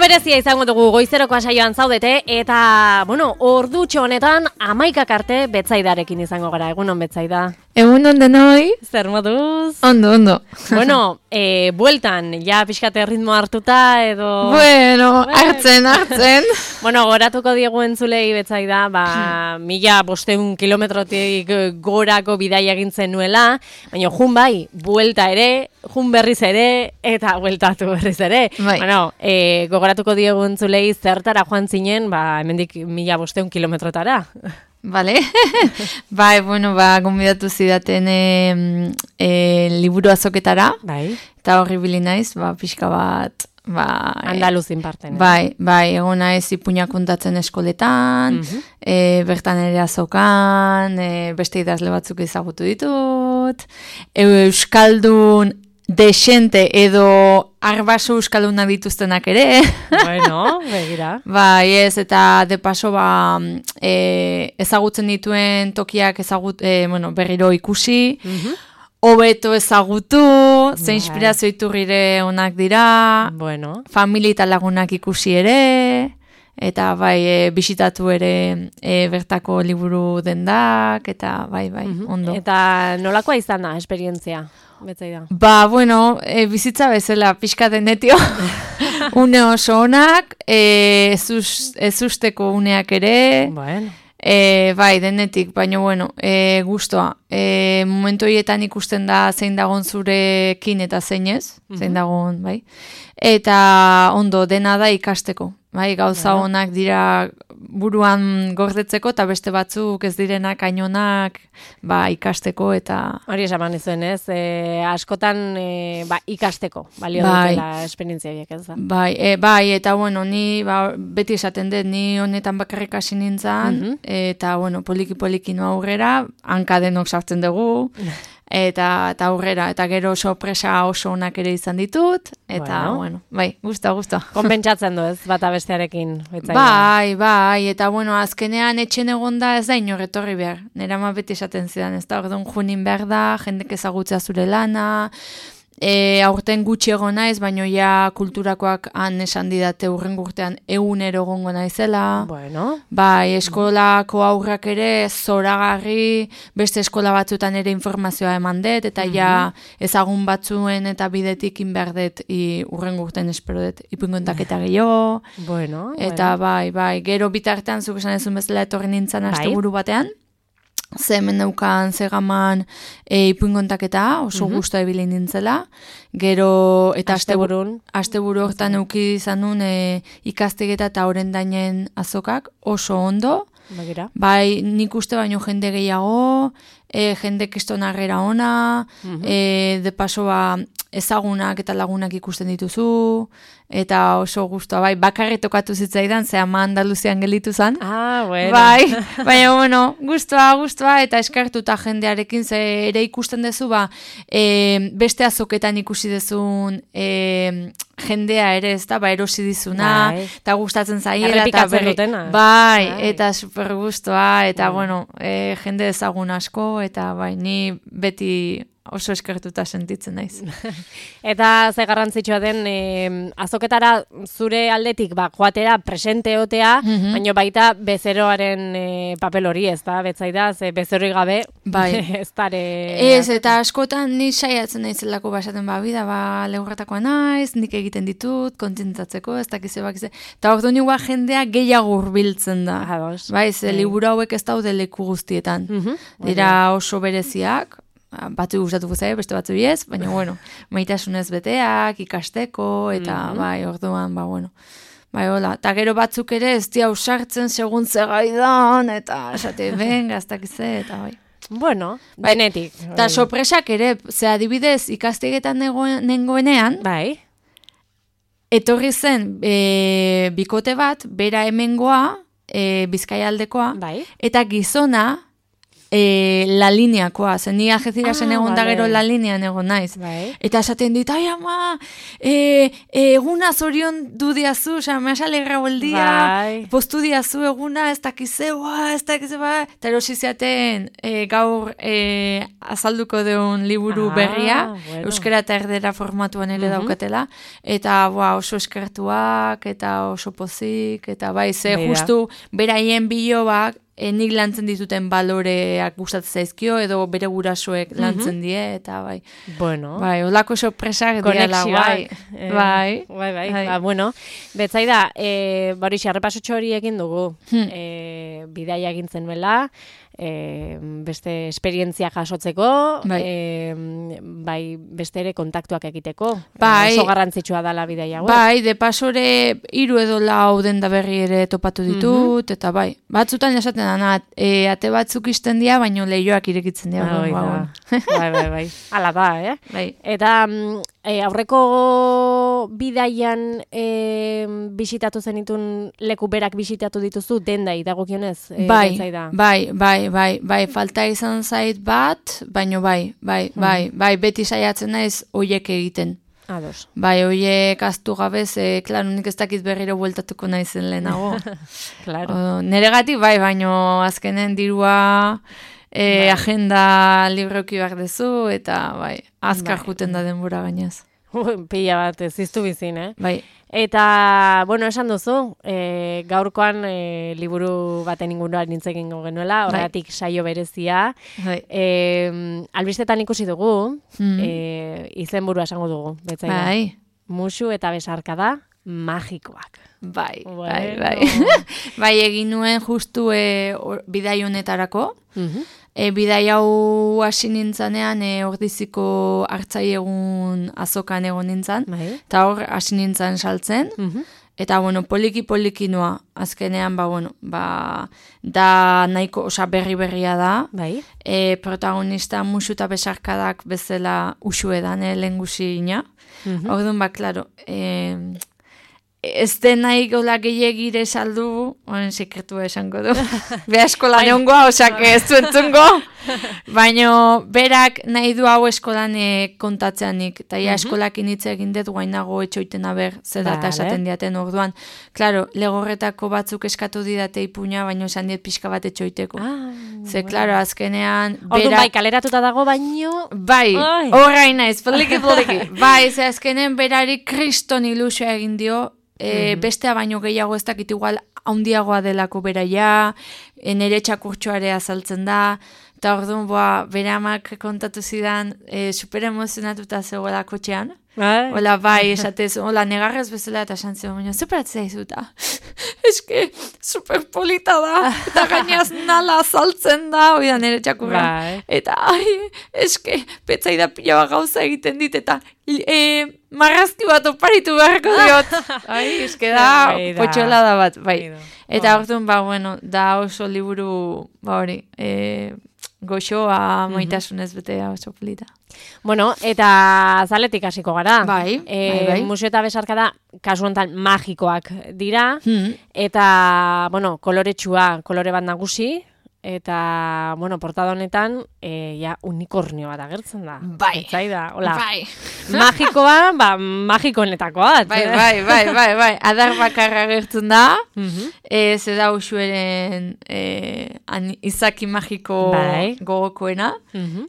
berezia izango dugu goizeroko saioan zaudete eta, ordutxo honetan 11 arte Betzaidarekin izango gara. Egunon Betzaida. Egunon denoi. Zer moduz? Ondo. Bueltan, ja pixkate ritmo hartuta edo... Bueno, hartzen. Goratuko diegu entzulei Betzaida, 1500 kilometrotik gorako bidaia egintzen nuela, baina jun bai, buelta ere, jun berriz ere, eta bueltatu berriz ere. Bai. Gogoratuko diegu entzulei zertara joan zinen, hemendik 1500 kilometrotara. Vale. Gonbidatu zidaten liburu azoketara. Bai. Eta horri bili naiz, pixka bat... Andaluzin parten. Bai, egon naiz ipuñak kontatzen eskoletan, bertan ere azokan, beste idazle batzuk ezagutu ditut, euskaldun desente edo arbaso euskaldunak dituztenak ere. Bueno, begira. Bai, ez, eta de paso ezagutzen dituen tokiak berriro ikusi, hobeto ezagutu, ze inspirazio iturrire onak dira, familia eta lagunak ikusi ere, eta bisitatu ere bertako liburu dendak, eta bai, ondo. Eta nolakoa izan da, esperientzia? Betzaida. Bizitza bezala pixka denetio, une oso onak, ezusteko uneak ere, denetik, baina guztua. Momentu horietan ikusten da zein dagon zurekin eta zein ez, zein dagon, bai. Eta ondo, dena da ikasteko. Gauza onak dira buruan gordetzeko eta beste batzuk ez direnak ainonak ikasteko eta... Hori esaman izuen ez, askotan ikasteko, balio dutela esperientzia biek ez da. Eta ni beti esaten dut, ni honetan bakarrik hasi nintzen, eta poliki noa aurrera, hankadenok sartzen dugu, eta aurrera, eta gero sorpresa oso onak ere izan ditut, eta gusta. Konpentsatzen du ez, bata bestearekin. Bai, eta azkenean etxen egonda ez da inor etorri behar. Nera ma beti esaten zidan, ez da, orduan junin behar da, jendek ezagutzea zure lana, aurten gutxi egon naiz, baina ja kulturakoak han esan didate urrengo urtean egunero egongo naizela. Bai, eskolako aurrak ere zoragarri, beste eskola batzuetan ere informazioa eman dut, eta ja ezagun batzuen eta bidetik inberdet urrengo urtean espero dut ipungontaketa gehiago. Eta bai, gero bitartean zuk esan ezun bezala etorri nintzen asteburu batean. Ze hemen neukan zegaman ipuinkontaketa, oso guztua ebili nintzela. Gero, eta asteburu hortan euki izan nun ikastegeta eta orendainen azokak, oso ondo. Bai, nik uste baino jende gehiago, jende kestonarrera ona, de paso ezagunak eta lagunak ikusten dituzu, eta oso guztua, bakarri tokatu zitzaidan, ze ama Andaluzian gelditu zen. Baina, guztua, eta eskartuta jendearekin, ze ere ikusten dezu, beste azoketan ikusi dezun jendea ere, ez da, erosi dizuna, eta gustatzen zaiela, eta super guztua, eta jende ezagun asko, eta ni beti oso eskertuta sentitzen naiz. Eta ze garrantzitsua den azoketara zure aldetik joatera presente otea, baina baita bezeroaren papel hori, ez da, Betzaida, ze bezeroi gabe ez dare... Ez, eta askotan ni saiatzen naizelako basaten lehurratakoa naiz, nik egiten ditut, kontentatzeko, ez dakize bakize. Eta ordu nioa jendea gehiago hurbiltzen da. Ze liburu hauek ez daude leku guztietan. Dira oso bereziak, batzu gustatuko zaie, beste batzu ez, baina, maitasunez beteak, ikasteko, eta, orduan, hola. Eta gero batzuk ere ez dia usartzen segun zegaidan, eta esate, gaztakize, eta benetik. Eta sorpresak ere, ze adibidez ikastegetan nengoenean, etorri zen bikote bat, bera hemengoa, Bizkaia aldekoa, eta gizona, La lineakoa, zen ni Algecirasen egon da vale. gero La linean egon naiz. Bai. Eta esaten dit, ai ama, eguna zorion du diazu, oza, me has alegrado el día, Bai. postu diazu eguna, ez dakizeba, eta erosi ziaten gaur azalduko deun liburu berria, bueno. euskera eta erdera formatuan ere daukatela, eta oso eskertuak, eta oso pozik, eta bai, ze Beira. justu beraien bilobak, nik lantzen dituten baloreak gustatzen zaizkio, edo bere gurasoek lantzen die, eta bai. Bueno. Bai, olako sorpresak diala, bai. Bai. Bai. Ba, bueno, betzaida, hori xarrepasotxo hori egin dugu. Bidaia egin zenuela, beste esperientzia jasotzeko, bai, beste ere kontaktuak egiteko. Bai. Oso garrantzitsua dala bidaia hauek. Bai, de pasore 3 edo 4 denda berri ere topatu ditut, eta bai, batzutan esaten dana, ate batzuk isten dira, baino lehioak irekitzen dira. Bai. Hala da, Bai. Eta aurreko bidaian bisitatu zenitun leku berak bisitatu dituzu dendai dagokionez? Bai, falta izan zait bat, baino bai, beti saiatzen naiz hoiek egiten. Ados. Bai, hoiek aztu gabez, klaro, nik ez dakit berriro bueltatuko naizen lehenago. Claro. Neregatik bai, baino azkenen dirua agenda libroki behar dezu, eta bai, azkar juten da denbora gainaz. Pila bat, ziztu bizin, Bai. Eta, bueno, esan duzu, gaurkoan liburu baten inguruan nintzekin genuela, horregatik saio berezia. Bai. Albistetan ikusi dugu, izenburua esango dugu, betzaida. Bai. Musu eta besarkada magikoak. Bai. Bai, egin nuen justu bidai honetarako. Bidai hau hasi nintzanean ordiziko hartzai egun azokan egon nintzan, eta hor hasi nintzan saltzen, eta poliki noa, azkenean, da nahiko, berria da, protagonista musu eta besarkadak bezala usu edan, lehengusi ina. Orduan, klaro, ez den nahi gola gehiagire saldu, sekretua esango du. Beha eskolan egongoa, ez du entzungo. Baina berak nahi du hau eskolan kontatzeanik. Eta eskolakin hitz egin dut guainago etxoiten aber, zedata esaten diaten orduan. Klaro, legorretako batzuk eskatu didate ipuña, baina esan diet pixka bat etxoiteko. Ze, klaro, azkenean... Orduan bai, kaleratuta dago, baino... Bai, horrein naiz, poliki. Bai, ze azkenen berari kriston ilusioa egin dio, bestea baino gehiago ez dakit igual haundiagoa delako beraia, nere txakurtxoare azaltzen da, eta orduan bere amak kontatu zidan super emozionatuta zegoela kotxean. Hola, bai, esatez, hola, negarrez bezala eta esan zion, baina zeperatzea izuta. Eske, super polita da, eta gainaz nala azaltzen da, oida nere txakurra. Eta, eske, petzaida pila bat gauza egiten dit, eta marrazki bat oparitu beharko diot. Eske da, potxolada bat, bai. Eta orduan, da oso liburu, hori, goxoa maitasunez betea oso polita. Bueno, eta zaletik hasiko gara. Bai. Musu eta besarkada kasu honetan magikoak dira, eta, kolore bat nagusi, eta, portada honetan, unikornio bat agertzen da. Bai. Zaida, hola. Bai. Magikoa, magiko honetakoa. Bai. Adar bakarra agertzen da, ze da usueren izaki magiko gogokoena,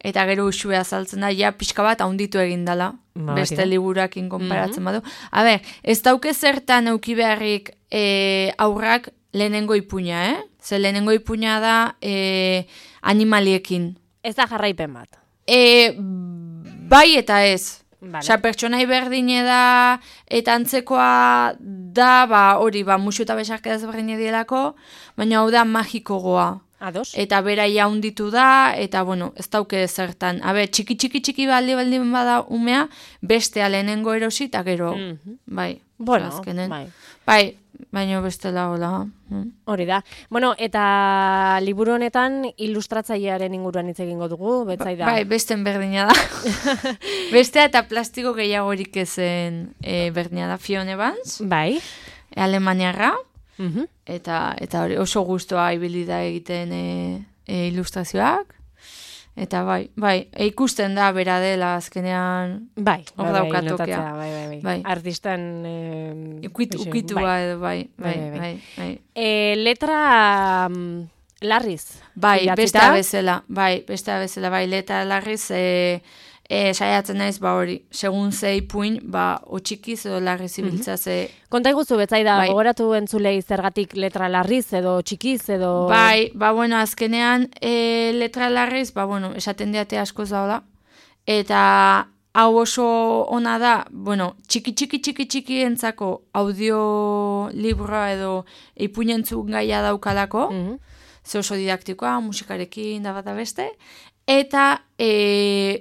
eta gero usue azaltzen da, pixka bat haunditu egin dela, beste liburakin konparatzen badu. A ber, ez dauke zertan euki beharrik aurrak lehenengo ipuña, Ze lehenengo ipuña da animaliekin. Ez da jarraipen bat. Bai eta ez. Osa, pertsonai berdine da, eta antzekoa da, hori, musu eta besarkada ezberdine dielako, baina hau da magikogoa. Ados. Eta beraia hunditu da, eta, ez dauke zertan. Txiki baldin bada umea, bestea lehenengo erosi, eta gero, bai. Bai, baina bestela hola. Hori da. Eta liburu honetan ilustratzailearen inguruan hitz egingo dugu, betzaida. Bai, besten berdina da. Bestea eta plastiko gehiagorik ezen berdina da. Fiona Evans. Bai. Alemaniarra. Eta hori oso gustoa ibili da egiten ilustrazioak, eta bai, ikusten da bera dela azkenean bai, hor daukatokea. Bai. Artistan ukitua edo, bai. Letra larriz. Bai, idatzita? beste bezala, letra larriz saiatzen naiz, hori, segun ze ipuin, o txikiz edo larriz ibiltza ze... Konta iguzu betzaida, gogoratu entzulei zergatik letra larriz edo txikiz edo... Bai, bueno, azkenean letra larriz, bueno, esaten diate askoz da, eta hau oso ona da, bueno, txiki entzako audiolibroa edo ipuinentzun gaia daukalako, ze oso didaktikoa, musikarekin da bat beste, eta,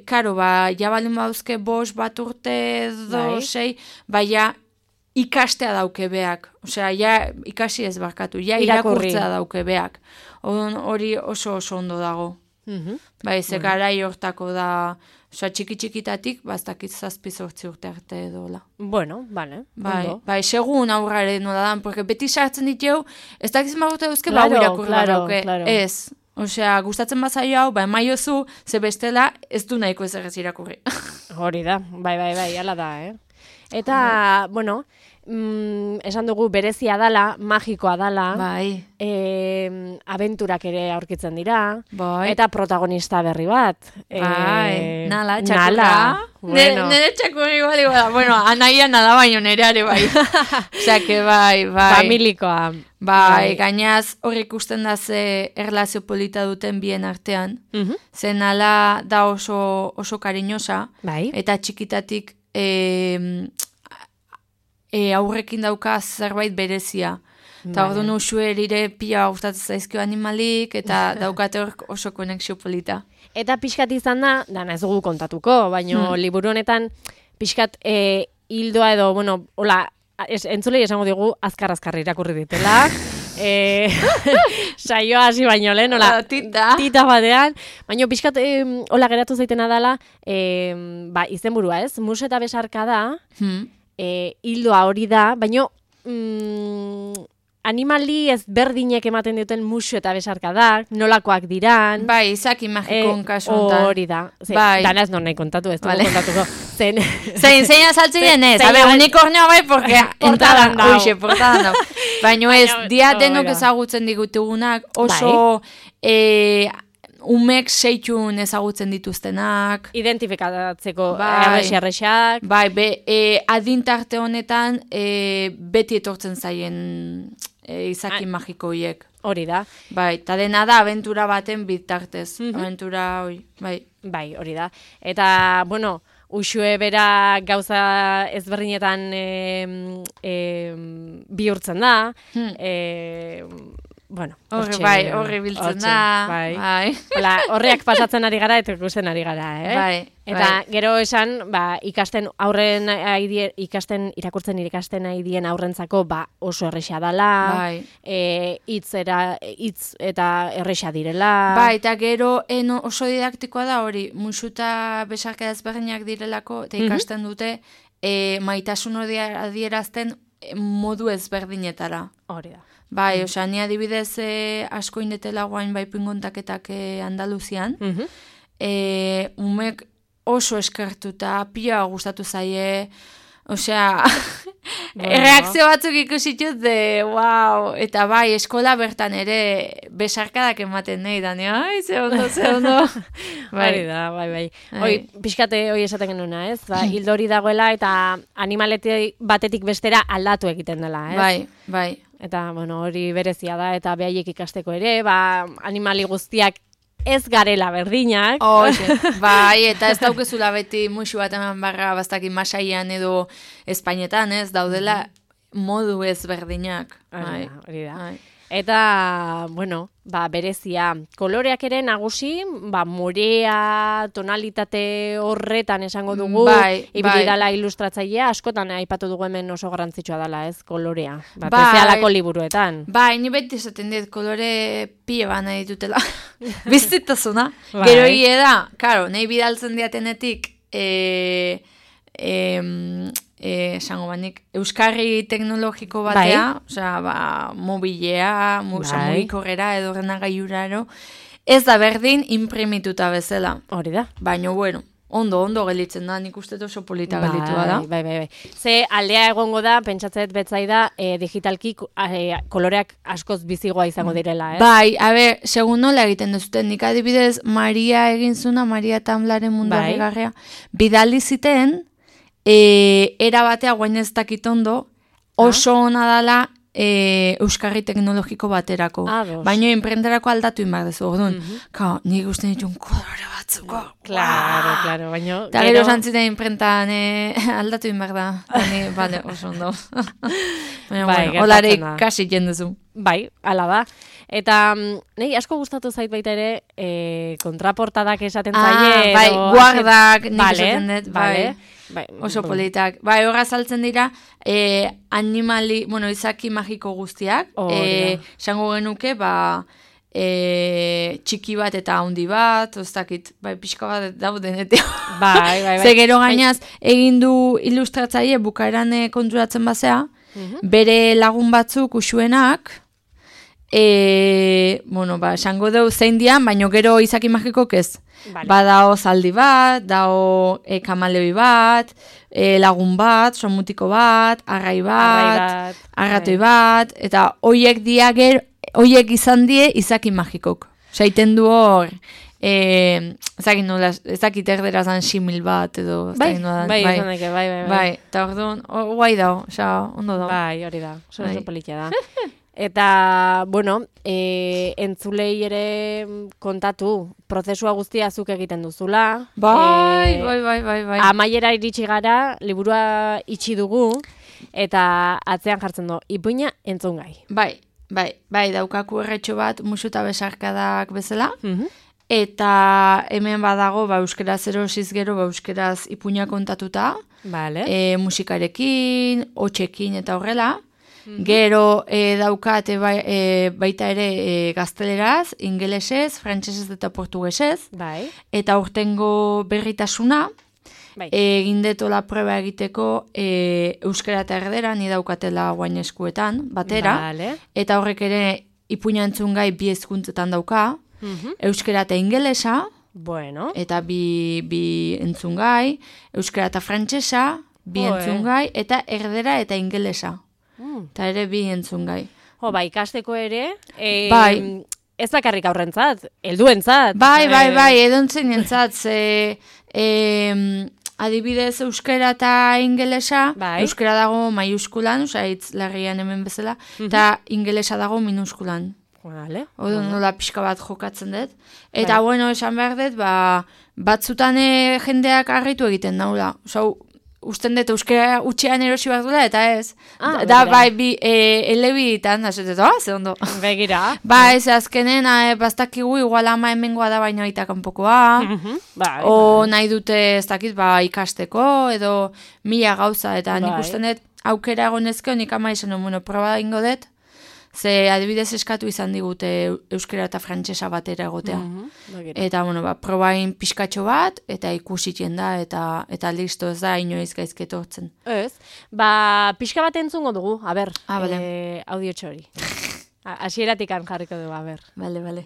karo, ja baldin bauzke 5 bat urte edo 6, ja ikastea dauke beak. Osea, ja ikasi ez barkatu, ja irakurtzea dauke beak. Hori oso ondo dago. Bai, ze garai hortako da, osea, txikitatik, bastakit 7-8 urte arte edola. Bueno, vale. Bai, segun aurraren nola dan, porque beti sartzen ditu, ez dakiz magurte dauzke, hau irakurra dauke. Ez. Osea, gustatzen bazaio hau, emaiozu, ze bestela ez du nahiko ez irakurri. Hori da, bai, ala da, Eta, bueno, esan dugu berezia dala, magikoa dala, abenturak ere aurkitzen dira, eta protagonista berri bat. Nala, txakurra. Nere txakurri bali bada. Bueno, anaia nala baino nereare bai. Osea, que bai. Familikoa. Bai, gainaz hor ikusten da ze erlazio polita duten bien artean. Ze nala da oso kariñosa, eta txikitatik aurrekin dauka zerbait berezia. Eta hor duen usuerire pila gustatzen zaizkio animalik, eta daukate hor oso konexio polita. Eta pixkat izan da, dana ez dugu kontatuko, baina liburu honetan pixkat hildoa edo, bueno, hola, entzulei esango digu azkar irakurri ditela. Saioa hasi baino lehen, hola, tita batean, baina pixkat hola geratu zaitena dela, izenburua ez, mus eta besarka da, hildoa hori da, baina animali ezberdinek ematen duten musu eta besarka da, nolakoak diran. Bai, izaki magikon kasu ontan. Hori da. Dana ez non nahi kontatu, ez dugu kontatuko. Zein azaltzen denez, unikornioa bai, porque portadan dau. Baina ez, dia denok ezagutzen digutugunak, oso umek seitxun ezagutzen dituztenak. Identifikatzeko arrexak. Bai, adintarte honetan beti etortzen zaien izaki magiko hiek. Hori da. Bai, eta dena da abentura baten bitartez. Abentura hori, bai. Bai, hori da. Eta, bueno, usue bera gauza ezberdinetan bihurtzen da. Bueno, horri biltzen da. Horreak pasatzen ari gara eta ikusten ari gara, Eta gero esan, ikasten irakurtzen dien aurrentzako oso erresa dala, hitz eta erresa direla. Eta gero oso didaktikoa da hori, musu eta besarka ezberdinak direlako, eta ikasten dute maitasun hori adierazten modu ezberdinetara. Hori da. Bai, osea, ni adibidez asko indetela guain pingontaketak Andaluzian. Umek oso eskertuta, pila gustatu zaie, osea, reakzio batzuk ikusitut de, wow, eta bai, eskola bertan ere besarkadak ematen nahi, Dani, ze ondo. Hori da, bai. Hoi, pixkate hoi esaten genuna, ez? Hildo hori dagoela eta animaletik batetik bestera aldatu egiten dela, ez? Bai. Eta, bueno, hori berezia da, eta behaiek ikasteko ere, animali guztiak ez garela berdinak. Bai, eta ez daukezula beti musu bat eman barra bastakin masaian edo Espainetan, ez, daudela modu ez berdinak. Hori da. Eta, bueno, berezia, koloreak ere nagusi, morea, tonalitate horretan esango dugu, ibili dala ilustratzailea, askotan aipatu dugu hemen oso garrantzitsua dela, ez, kolorea. Bezealako liburuetan. Ni beti esaten dit, kolore pie nahi ditutela. Biztitasuna. Gero hile da, karo, nahi bidaltzen diatenetik, esango banik, euskarri teknologiko batea, osea, mobilea, mugikorrera edo renagaiuraro, ez da berdin imprimituta bezala. Hori da. Baina, bueno, ondo gelitzen da, nik uste oso polita gelitua da. Bai. Ze aldea egongo da, pentsatzet betzaida, digitalki koloreak askoz bizigoa izango direla, Bai, segun nola egiten duzuten, nik adibidez, Maria egin zuna, Maria Tamlaren mundu garria, bidali ziten, era batea guain ez dakit ondo, oso ona dala euskarri teknologiko baterako. Baina imprenterako aldatu inbar dezu, orduan. Nik uste ditun kolore batzuko. Claro, baina... Eta gero zantziten imprentan aldatu inbar da. Bale, oso ondo. Baina, olare ikasi jendezu. Bai, ala da. Eta nahi asko gustatu zait baita ere kontraportadak esaten zaie. Bai, guardak nik esaten dut, bai. Oso politak. Bai, horra saltzen dira animali, izaki magiko guztiak. Esango genuke, txiki bat eta handi bat, oztakit, pixka bat dauden. Bai. Ze gero gainaz, egin du ilustratzaile bukaeran konturatzen bazea, bere lagun batzuk usuenak, esango deu zein dian, baino gero izaki magikok ez. Dao zaldi bat, dao kamaleoi bat, lagun bat, somutiko bat, arrai bat, arratoi bat, eta hoiek izan die izaki magikok. Zaiten du hor, ezakit erderazan simil bat, edo... Bai, izan daike, bai. Eta orduan, guai dao, ondo dao. Bai, hori da, oso politia da. Eta, entzulei ere kontatu, prozesua guztia zuk egiten duzula. Bai. Amaiera iritsi gara, liburua itxi dugu, eta atzean jartzen du, ipuina entzungai. Bai, daukaku erretxo bat, musu eta besarkadak bezala, eta hemen badago, euskeraz erosiz gero, euskeraz ipuina kontatuta, musikarekin, hotxekin eta horrela, gero daukate baita ere gazteleraz, ingelesez, frantsesez eta portugesez, eta urtengo berritasuna, egin detola proba egiteko euskara eta erdera, ni daukatela guain eskuetan, batera, eta horrek ere ipuina entzungai bi hezkuntzetan dauka, euskara eta ingelesa, eta bi entzungai, euskara eta frantsesa, bi entzungai, eta erdera eta ingelesa. Eta ere bi entzungai. Ikasteko ere, ez bakarrik aurrentzat, helduentzat. Bai, edontzen entzat, adibidez euskara eta ingelesa, euskara dago maiuskulan, hitz larrian hemen bezala, eta ingelesa dago minuskulan. Odo nola pixka bat jokatzen dut. Eta esan behar dut, batzutan jendeak harritu egiten daula. Usten dut euskara utxean erosi bat dula, eta ez. Bi elebitan, da ze ondo. Begira. Ez azkenen, bastakigu igual ama hemengoa da baina aita kanpokoa. O nahi dute ez dakit, ikasteko, edo mila gauza, eta nik usten dut aukera egonezko, nik ama izan, proba ingo dut, ze adibidez eskatu izan digute euskara eta frantsesa batera egotea. Eta, probain pixkatxo bat, eta ikusitien da, eta listo ez da, inoiz gaizketortzen. Ez, pixka bat entzungo dugu, audio txori. Asieratik jarriko dugu, Bale.